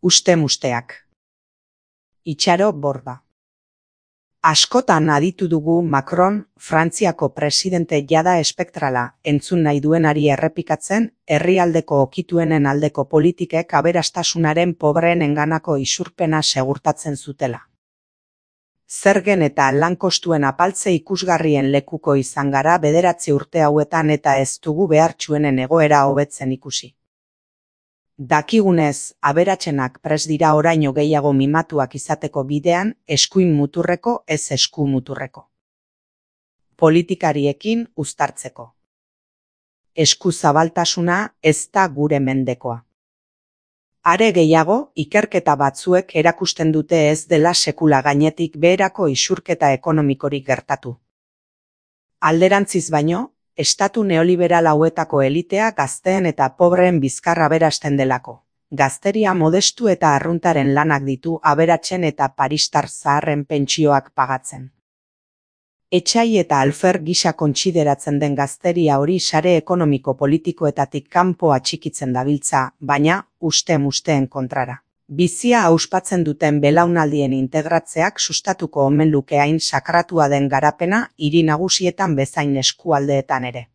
Uste-musteak. Itxaro Borda. Askotan aditu dugu Macron, Frantziako presidente jada espektrala, entzun nahi duenari errepikatzen, herrialdeko okituenen aldeko politikek aberastasunaren pobreen enganako isurpena segurtatzen zutela. Zergen eta lankostuen apaltze ikusgarrien lekuko izan gara 9 urte hauetan eta ez dugu behartsuenen egoera hobetzen ikusi. Dakigunez, aberatsenak prest dira oraino gehiago mimatuak izateko bidean, eskuin muturreko ez esku muturreko. Politikariekin uztartzeko. Esku zabaltasuna ez da gure mendekoa. Are gehiago, ikerketa batzuek erakusten dute ez dela sekula gainetik beherako isurketa ekonomikorik gertatu. Alderantziz baino, estatu neoliberal hauetako elitea gazteen eta pobreen bizkarra aberasten delako. Gazteria modestu eta arruntaren lanak ditu aberatsen eta paristar zaharren pentsioak pagatzen. Etxai eta alfer gisa kontsideratzen den gazteria hori sare ekonomiko politikoetatik kanpo atxikitzen dabiltza, baina uste-musteen kontrara. Bizia auspatzen duten belaunaldien integratzeak sustatuko omen luke hain sakratua den garapena hiri nagusietan bezain eskualdeetan ere.